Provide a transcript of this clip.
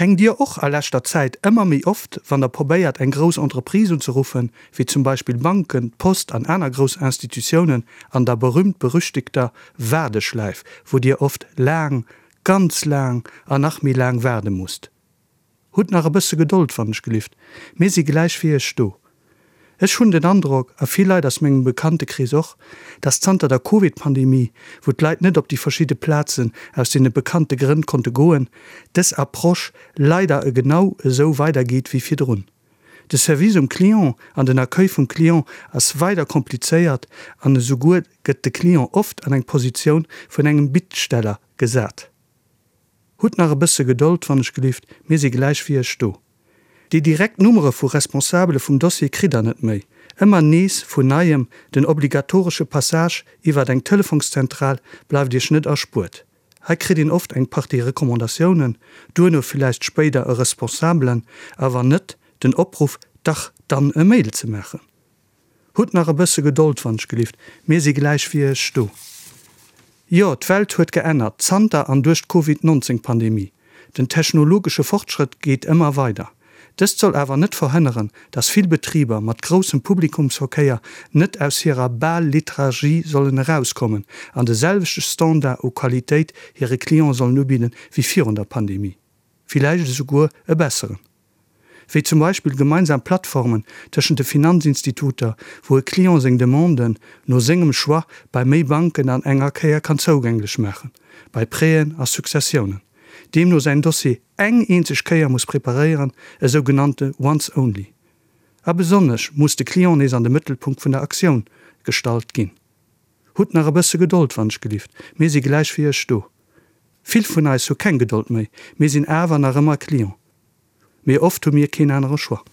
Hänkt Dir och a leschter Zäit ëmmer méi oft, wann Der probéiert eng grouss Entreprise unzeruffen, wéi zum Beispill Banken, d'Post an aner grouss Institutiounen, an der berühmt-berüchtigter Waardeschläif, wou Dir oft laang, ganz laang an nach méi laang waarde musst? Hutt nach e bësse Gedold, wann ech gelift, mir si gläich fir Iech do. Ech hunn den Androck, a vill Leit aus mengem Bekanntekrees och, dass zanter der Covid-Pandemie, wou d'Leit net op déi verschidde Plazen aus deene bekannte Grënn konnte goen, dës Approche leider e genau esou weidergeet wéi virdrun. De Service um Client an den Accueil vum Client ass weider komplizéiert an esouguer gëtt de Client oft an eng Positioun vun engem Bittsteller gesat. Hutt nach e bësse Gedold, wann ech gelift, mir si gläich fir Iech do. Déi direkt Nummere vu Responsabele vum Dossier kritt der net méi. Ëmmer nees vun Neiem, den obligatoresche Passage iwwert eng Telefonszentral bleift Iech net erspuert. Hei kritt een oft eng Partie Recommandatiounen, duerno villäicht spéider e Responsabelen, a wann net, den Opruff, dach dann e Mail ze maachen. Hutt nach e bësse Gedold, wann ech gelift, mir si gläich fir Iech do. Jo, d'Welt huet geännert, zanter an duerch d'Covid 19 Pandemie. Den technologesche Fortschrëtt geet ëmmer weider. Dëst soll awer net verhënneren, dass vill Betriber mat groussem Publikumsverkéier net aus hirer bal Lethargie sollen erauskommen an de selwechte Standard u Qualitéit hire Clienten sollen ubidden wéi virun der Pandemie. Villäicht esouguer e besseren. Wéi zum Beispill gemeinsam Plattformen tëschent de Finanzinstituter, wou e Client seng Demanden no sengem Choix bei méi Banken an enger Kéier kann zougänglech maachen, bei Prêten a Successiounen, deemno säin Dossier eng eenzeg Kéier muss preparéieren, e sou genannte Once only. A besonnesch muss de Client nees an de Mëttelpunkt vun der Aktioun gestallt ginn. Hutt nach e bësse Gedold, wann ech gelift, mir si gläich fir Iech do. Vill vun eis hu keng Gedold méi, mir sinn awer nach ëmmer Client. Mee oft hu mir keen anere Choix.